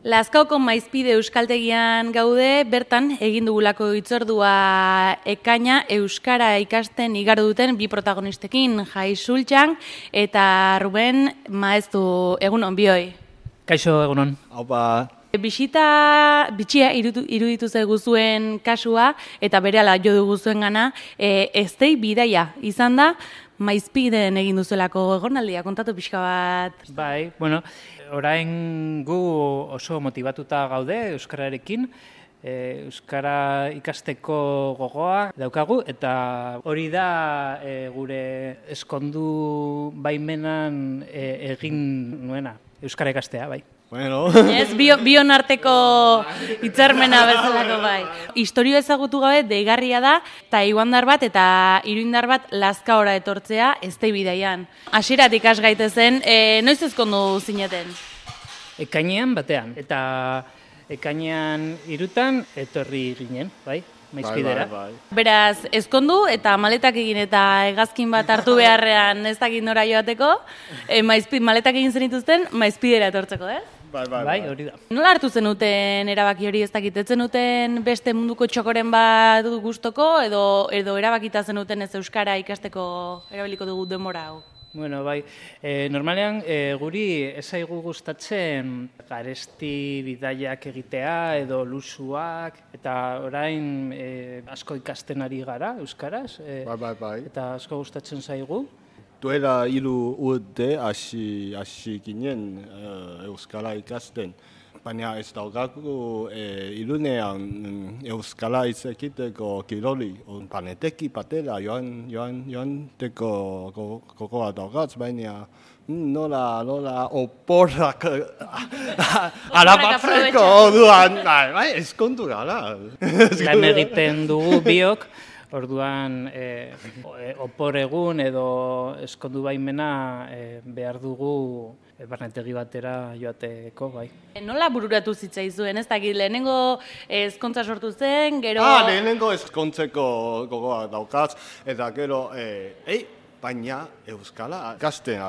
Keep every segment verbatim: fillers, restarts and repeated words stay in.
Lazkaoko Maizpide euskaltegian gaude, bertan egin dugulako hitzordua ekaina euskara ikasten igaro duten bi protagonistekin, Jai Sultxan eta Ruben Maeztu. Egunon, bioi. Kaixo, egunon. Haupa. Bisita bitxia iruditu, iruditu zaigu zuen kasua eta berehala jo dugu zuen gana, e, eztei bidaia izan da, Maizpiden egin duzuelako egonaldia, kontatu pixka bat. Bai, bueno, orain gu oso motibatuta gaude euskararekin, e, euskara ikasteko gogoa daukagu, eta hori da e, gure eskondu baimenan e, egin nuena, euskara ikastea, bai. Bueno. Ez, bio, bion arteko hitzarmena bezalako bai. Historio ezagutu gabe deigarria da, eta iguandar bat eta iruindar bat Lazkaora etortzea eztei bidaian. Hasieratik has gaitezen, e, noiz ezkondu zineten? Ekainean batean, eta ekainean irutan etorri ginen, bai? Maizpidera. Bai, bai, bai. Beraz, ezkondu eta maletak egin eta hegazkin bat hartu beharrean ez dakit nora joateko, e, maizpi, maletak egin zenituzten Maizpidera etortzeko, eh? Bai, bai, Bai, hori da. Nola hartu zenuten erabaki hori, ez dakit, ez zenuten beste munduko txokoren bat gustoko edo edo erabakita zenuten ez euskara ikasteko erabiliko dugu denbora hau? Bueno, bai, e, normalean e, guri ez zaigu gustatzen garesti bidaiak egitea edo lusuak, eta orain e, asko ikasten ari gara euskaraz, e, Bai, bai, bai. eta asko gustatzen zaigu. Duela hiru urte hasi hasi ginen uh, euskara ikasten. Baina ez daukagu e, Irunean mm, euskara izekiteko kiroli. Paneteki batera joan joan joanteko gogoa daukatz, baina nola nola oporrak arabatzeko orduan, bai, bai, eskondu gara. Lan egiten dugu biok, orduan e, opor egun edo eskondu baimena e, behar dugu e, barnetegi batera joateko, bai. Nola bururatu zitzaizuen, ez dakit, lehenengo ezkontza sortu zen, gero... Ah, lehenengo ezkontzeko gogoa daukatz, eta gero, e, ei, baina euskara ikasten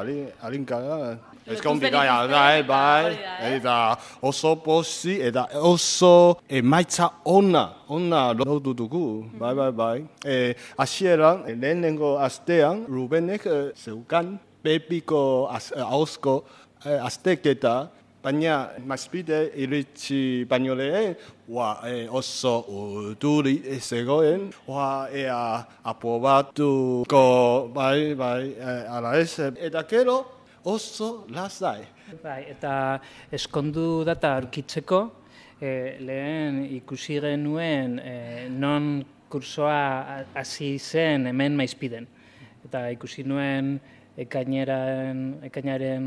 alinkara. Ezkondik gaia da, bai, eta oso posi, eta oso emaitza ona, ona lortu dugu, bai, bai, bai. E, Hasieran, lehenengo astean, Rubenek e, zeukan pepiko ahozko e, azteketa, baina Maizpide iritsi baino lehen, Wa, e, oso urduri zegoen, wa, ea aprobatuko, bai, bai, e, ala ez, eta gero, oso lasai. Bai, eta eskondu data aurkitzeko, e, lehen ikusi genuen e, non kursoa hasi zen hemen Maizpiden. Eta ikusi nuen ekainaren, ekainaren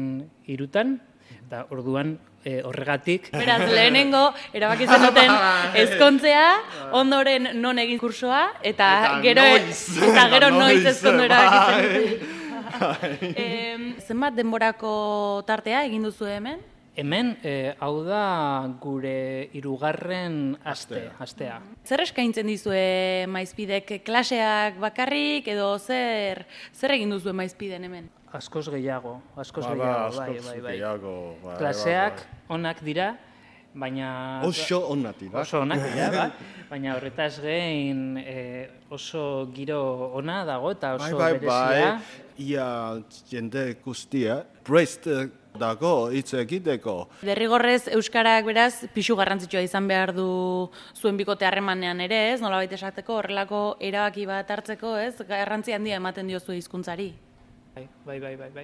irutan, eta orduan e, horregatik... Beraz, lehenengo erabaki zenuten ezkontzea, ondoren non egin kursoa, eta, Eta gero, noiz. eta gero Eta noiz noiz, ezkondu erabaki bai. zenuten. Em, zenbat denborako tartea egin duzu hemen? Hemen, e, hau da gure hirugarren aste, astea. Zer eskaintzen dizue Maizpidek, klaseak bakarrik edo zer zer egin duzue Maizpiden hemen? Askoz gehiago, askoz Ba, ba, gehiago, bai, askoz bai, bai. gehiago, bai, Klaseak bai, onak dira, baina... Oso onak dira. Oso onak dira, bai. Baina horretaz gain e, oso giro ona dago eta oso Bai, bai, berezia. bai, ia jende guztia, prest dago hitz egiteko. Derrigorrez euskarak beraz pisu garrantzitsua izan behar du zuen bikote harremanean ere, ez? Nolabait esateko horrelako erabaki bat hartzeko, ez? Garrantzi handia ematen diozu hizkuntzari. Bai, bai, bai, bai, bai.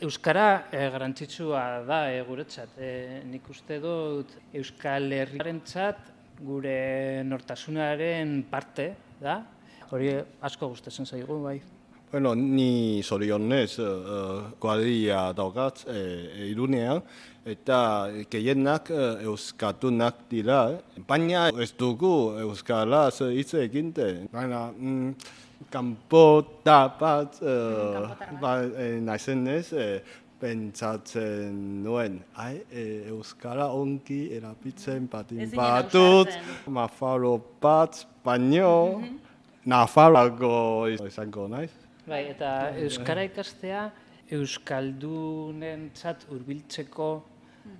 Euskara e, garrantzitsua da e, guretzat. E, nik uste dut Euskal Herriarentzat gure nortasunaren parte da. Hori asko gustatzen zaigu, bai. Bueno, ni zorionez uh, kuadrilla daukat e, Irunean, eta gehienak uh, euskatunak dira, baina ez dugu euskaraz hitz egiten. Baina, mm, kanpota bat, uh, ba, e, naizenez, e, pentsatzen nuen, ai, e, euskara ongi erabiltzen batin Ezin batut, ausartzen. Nafaro bat, baino, Nafarroako izango naiz. Bai, eta euskara ikastea euskaldunentzat hurbiltzeko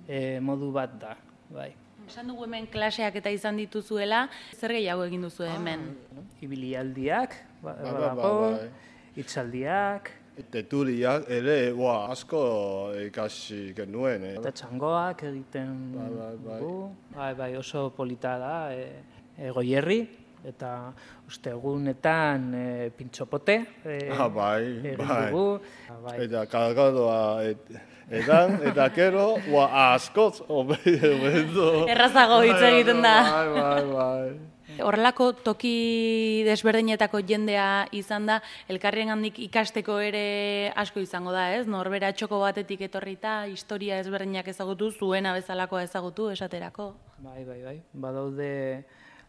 e, modu bat da. bai. Esan dugu hemen klaseak eta izan dituzuela, zer gehiago egin duzu hemen? Ibilialdiak, ba- Bai, bai, badago, bai. hitzaldiak, Tertuliak ere, ua, asko ikasi genuen, eh? eta txangoak egiten Bai, bai, bai. dugu. Bai, bai, oso polita da, e, e, Goierri, eta ostegunetan e, pintxopote e, Ah, bai, egin bai. dugu. Ah, bai. Eta kargadoa et, edan, eta gero, ua, askoz, obedo. Errazago hitz egiten da. Bai, bai, bai. Horrelako toki desberdinetako jendea izan da, elkarrien handik ikasteko ere asko izango da, ez? Norbera txoko batetik etorrita, historia ezberdinak ezagutu, zuena bezalakoa ezagutu, esaterako. Bai, bai, bai. Badaude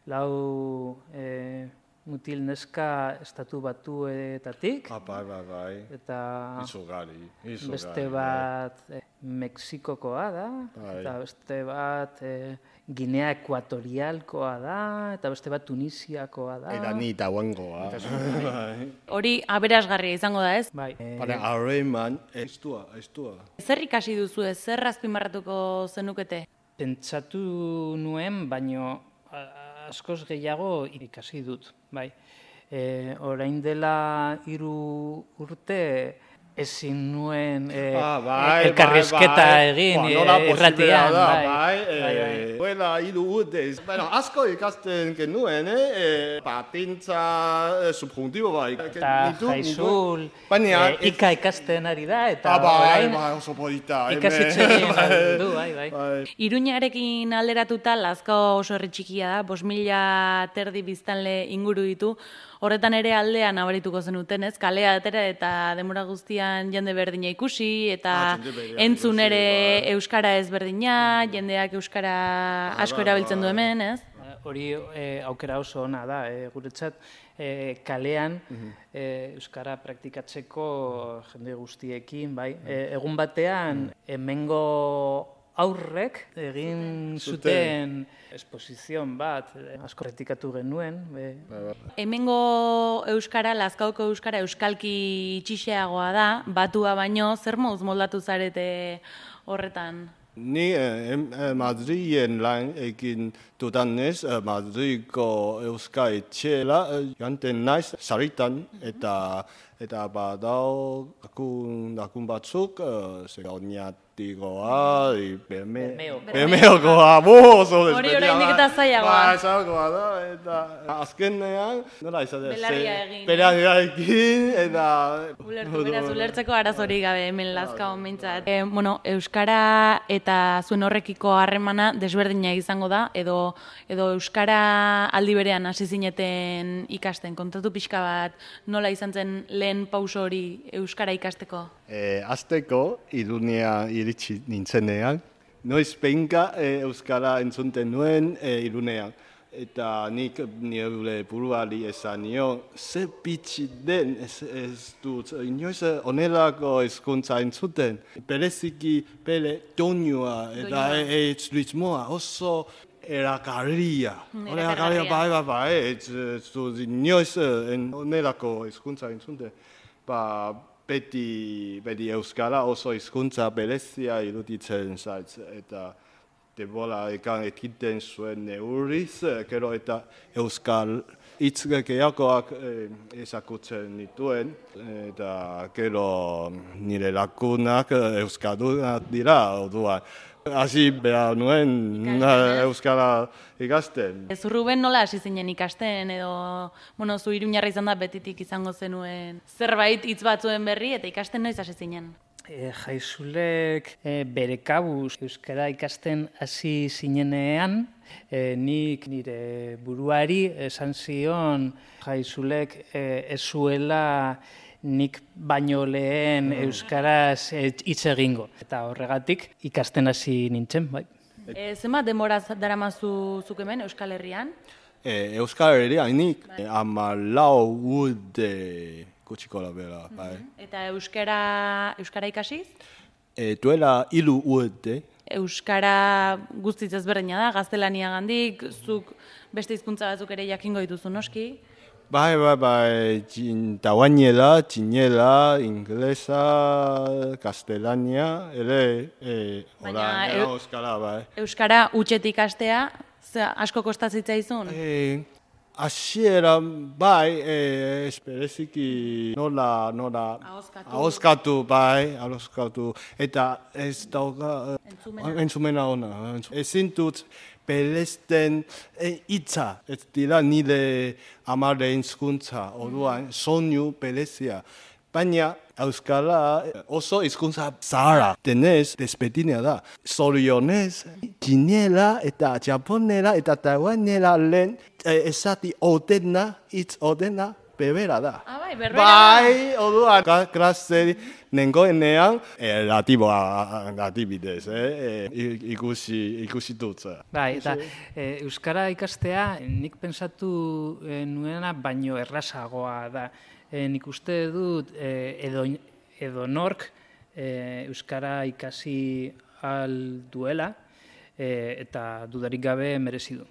lau e, mutil neska estatu batuetatik, Ah, bai, bai, bai. eta Izugari, izugari. beste bat e, Mexikokoa da, Bai. eta beste bat e, Ginea Ekuatorialkoa da, eta beste bat Tunisiakoa da. Eta ni tauangoa. Bai. Hori aberasgarria izango da, ez? Bai, e, Para harreman, estua, estua. Zer ikasi duzu, ez? Zer azpimarratuko zenukete? pentsatu nuen, baino a- askoz gehiago ikasi dut, bai. E, orain dela hiru urte ezin nuen e, Ah, bai, elkarrizketa bai, bai. egin Ba, e, nola posiblea irratian, da, bai. bai, Bai, bai. eh, duela hiru urte. Bueno, asko ikasten genuen, eh? eh patintza eh, subjuntibo bai. Eta Nitu- jaizul, Baina, e, ika ikasten ari da, eta Ah, bai, orain bai, oso polita. ikasitxe egin du, bai, bai. Iruñarekin alderatuta, Lazkao oso herri txikia da, bost mila terdi biztanle inguru ditu, horretan ere aldea nabarituko zenuten, ez? Kalea atera eta denbora guztian jende berdina ikusi, eta Ah, jende berdina entzun ikusi, ere bai. euskara ezberdina, jendeak euskara asko bai, erabiltzen du bai. hemen, ez? Hori e, aukera oso ona da, e, guretzat e, kalean e, euskara praktikatzeko jende guztiekin, bai. E, egun batean hemengo aurrek egin zuten esposizion bat, e, asko praktikatu genuen. E, Hemengo euskara, Lazkaoko euskara euskalki itxixeagoa da, batua baino, zer moduz moldatu zarete horretan? Ni eh, em- eh, Madriden lan egin dudanez, eh, Madridko euska etxela eh, joanten naiz saritan, eta eta badau dakun, dakun batzuk, eh, ze oinatikoa, i berme, Bermeoko. bermeokoa, bo, oso Hori desberdina oraindik da. eta zailagoa. Bai, zailagoa da, eta azkenean, nola izate? Belarria egin. Belarria egin, eta... Ulertu, beraz, ulertzeko arazorik gabe hemen Lazkaon behintzat. E, bueno, euskara eta zuen horrekiko harremana desberdina izango da, edo edo euskara aldi berean hasi zineten ikasten. Kontatu pixka bat, nola izan zen lehen pauso hori euskara ikasteko? E, azteko, Iruñea iritsi nintzenean, noiz behinka e, euskara entzunten nuen e, Iruñean. Eta nik nire buruari esan nio, ze bitxi den, ez, ez dut, inoiz onelako hizkuntza entzuten. Bereziki bere tonua eta Doinua. e, e, ritmoa oso erakarria. Mm, Erakarria, erakargarria. bai, bai, bai, ez, ez dut inoiz en, onelako hizkuntza entzuten. Ba, beti, beti euskara oso hizkuntza berezia iruditzen zait, eta denbora ekan ekiten zuen neurriz, gero eta euskal hitz gehiagoak eh, ezagutzen nituen, eta gero nire lakunak eh, euskaldunak dira, orduan. Hasi behar nuen Ikasten, ez? euskara ikasten. Zu Ruben nola hasi zinen ikasten, edo, bueno, zu iruñarra izan da betitik izango zenuen zerbait hitz batzuen berri, eta ikasten noiz hasi zinen? E, jaizulek e, bere kabuz euskara ikasten hasi zinenean, e, nik nire buruari esan zion jaizulek e, ez zuela nik baino lehen euskaraz e, hitz egingo. Eta horregatik ikasten hasi nintzen, bai. E, zenbat denbora daramazu zuk hemen Euskal Herrian? E, Euskal Herrian nik e, hamalau urte gutxiko bera, bai. Eta euskara, euskara ikasiz? E, duela hiru urte, Euskara guztiz ezberdina da, gaztelaniagandik, zuk beste hizkuntza batzuk ere jakingo dituzu noski. Bai, bai, bai, tauainela, txinela, inglesa, kastelania, ere, e, Baina, orain, eu- euskara, bai. Euskara utxetik astea, ze asko kostatzitzaizu? E, Asiera, bai, e, espereziki nola, nola, Ahoskatu. ahoskatu, bai, ahoskatu, eta ez dauka, Entzumena. entzumena ona, ezin dut, Belesten hitza, ez dira nire amare hizkuntza, orduan soinu berezia. Baina euskara oso hizkuntza zahara, denez desberdina da. Zorionez, txinela eta japonera eta taiwanera lehen esati odena, hitz odena, bebera da. Ah, bai, berbera da. Bai, orduan, ka- klase nengoenean, eh, latiboa, latibidez, eh, eh, ikusi, ikusi dut. Bai, eta e, euskara ikastea nik pensatu e, nuena baino errazagoa da. E, nik uste dut e, edo, edo nork e, euskara ikasi al duela e, eta dudarik gabe merezi du.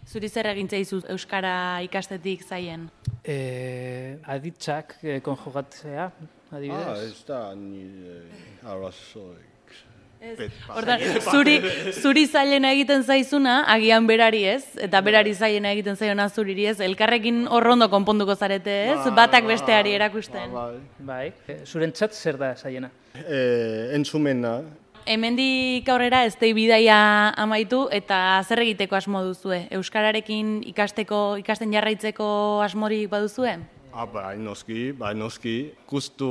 Zuri zer egin zaizu euskara ikastetik zaien? E, aditzak e, konjugatzea, adibidez. Ah, ez da nire arrazoik. Hortan, zuri, zuri zailena egiten zaizuna, agian berari ez, eta berari zailena egiten zaiona zuriri ez, elkarrekin horrondo konponduko zarete ez, batak besteari erakusten. Bai. Bai, e, zurentzat zer da zaiena? Eh, entzumena, Hemendik aurrera ez dei bidaia amaitu eta zer egiteko asmo duzue? Euskararekin ikasteko, ikasten jarraitzeko asmorik baduzue? ah, bai, noski, bai, noski, gustu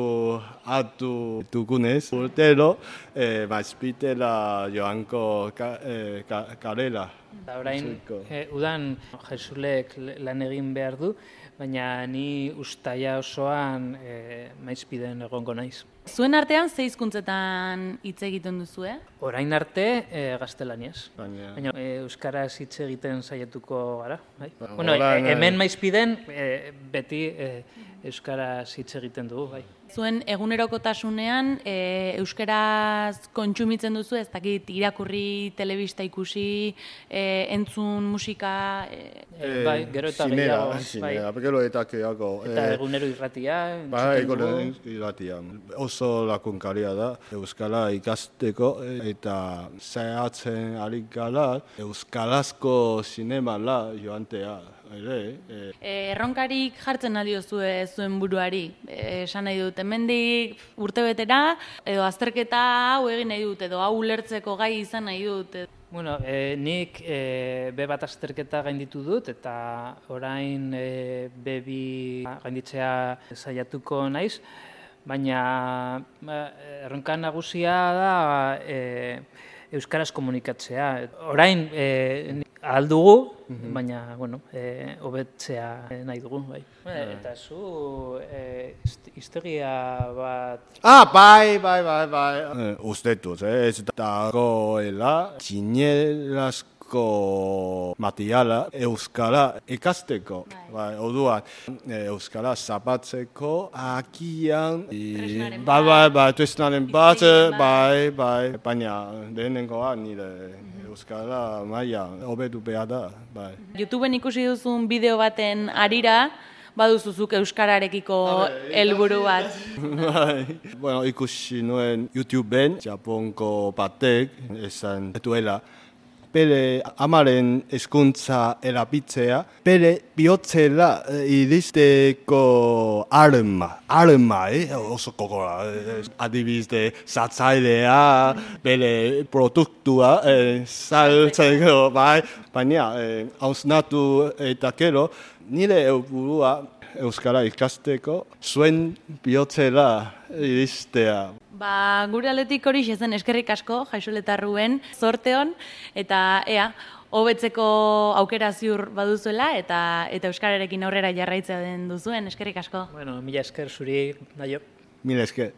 hartu dugunez, urtero, eh, maizpitela joanko ka, eh, ka, karela. Eta orain, Ziko. e, udan jesulek lan egin behar du, baina ni ustaia osoan e, maizpiden egongo naiz. Zuen artean ze hizkuntzetan hitz egiten duzue? Orain arte e, gaztelaniaz. Baina, Baina e, euskaraz hitz egiten saiatuko gara, bai? Ba, Bueno, e, orain, hemen maizpiden e, beti e, euskaraz hitz egiten dugu, bai. Zuen egunerokotasunean e, euskaraz kontsumitzen duzu, ez dakit irakurri, telebista ikusi, e, entzun musika, e, E, bai, gero eta zinera, gehiago, bai. zinera, gero eta gehiago. Eta eh, egunero irratia, Bai, entzuten dugu. egonen irratian. Oso lakunkaria da, euskara ikasteko eta zehatzen ari gara euskarazko zinemala joantea. Ere, eh, E, erronkarik jartzen aliozue zuen buruari. E, esan nahi dut, hemendik urtebetera, edo azterketa hau egin nahi dut, edo hau ulertzeko gai izan nahi dut. Bueno, e, nik e, be bat azterketa gainditu dut eta orain e, be bi gainditzea saiatuko naiz, baina ba, erronka nagusia da e, euskaraz komunikatzea. Orain e, ahal dugu, baina bueno, e, hobetzea nahi dugu, bai. Eta zu e, hist- historia bat Ah, bai, bai, bai, bai. Eh, uste dut, eh, ez dagoela txinelazko materiala euskara ikasteko. Bai, orduan, eh, euskara zapatzeko agian i- Tresnaren bai, bat, bai, bai, tresnaren bat, hiztegien bai, bai, baina lehenengoa nire euskara maila hobetu behar da, bai. YouTubeen ikusi duzun bideo baten arira, baduzuzuk euskararekiko helburu bat. Bai. Bueno, ikusi nuen YouTubeen, Japonko batek esan duela, bere amaren hezkuntza erabiltzea, bere bihotzela eh, iristeko arma, arma, eh? oso kokora, eh, adibidez, zatzailea, bere produktua, eh, saltzeko, bai, baina, eh, hausnatu eta gero, nire helburua euskara ikasteko, zuen bihotzela iristea. Ba, gure aldetik hori zen eskerrik asko, Jaixoletarruen, zorte hon, eta ea, hobetzeko aukera ziur baduzuela, eta eta euskararekin aurrera jarraitzea den duzuen, eskerrik asko. bueno, mila esker zuri, naio. Mila esker.